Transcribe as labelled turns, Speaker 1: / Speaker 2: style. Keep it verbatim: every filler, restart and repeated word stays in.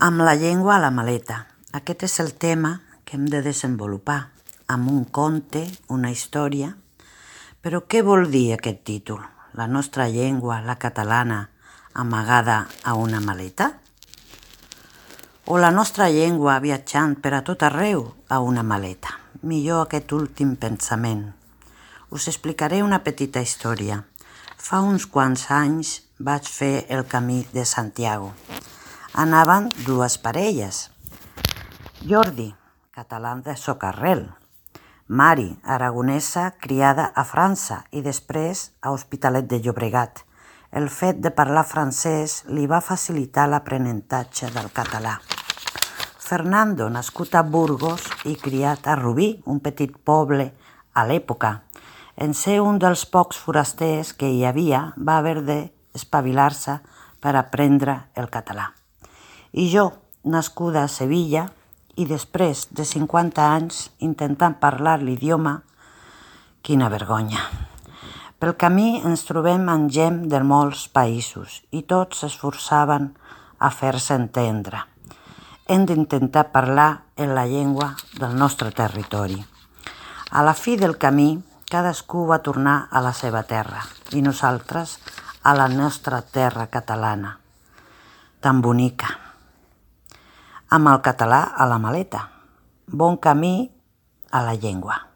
Speaker 1: Amb la llengua a la maleta. Aquest és el tema que hem de desenvolupar amb un conte, una història. Però què vol dir aquest títol? La nostra llengua, la catalana, amagada a una maleta? O la nostra llengua viatjant per a tot arreu a una maleta? Millor aquest últim pensament. Us explicaré una petita història. Fa uns quants anys vaig fer el camí de Santiago. Anaven dues parelles. Jordi, català de Socarrel. Mari, aragonesa, criada a França i després a Hospitalet de Llobregat. El fet de parlar francès li va facilitar l'aprenentatge del català. Fernando, nascut a Burgos i criat a Rubí, un petit poble a l'època. En ser un dels pocs forasters que hi havia, va haver d'espavilar-se per aprendre el català. I jo, nascuda a Sevilla, i després de cinquanta anys intentant parlar l'idioma, quina vergonya. Pel camí ens trobem amb gent de molts països i tots s'esforçaven a fer-se entendre. Hem d'intentar parlar en la llengua del nostre territori. A la fi del camí, cadascú va tornar a la seva terra i nosaltres a la nostra terra catalana, tan bonica. Amb el català a la maleta. Bon camí a la llengua.